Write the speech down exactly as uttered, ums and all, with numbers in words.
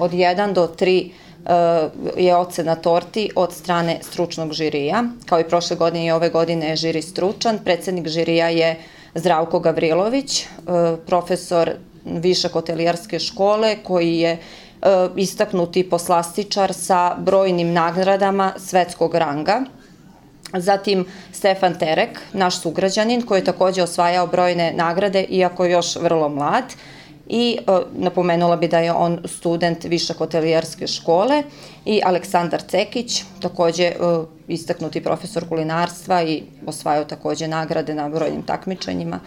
od jedan do tri je ocena torti od strane stručnog žirija. Kao i prošle godine i ove godine je žiri stručan. Predsednik žirija je Zdravko Gavrilović, profesor Višak hotelijerske škole, koji je istaknuti poslastičar sa brojnim nagradama svetskog ranga. Zatim Stefan Terek, naš sugrađanin, koji je takođe osvajao brojne nagrade, iako je još vrlo mlad. I napomenula bi da je on student Višak hotelijerske škole. I Aleksandar Cekić, takođe istaknuti profesor kulinarstva i osvajao takođe nagrade na brojnim takmičenjima.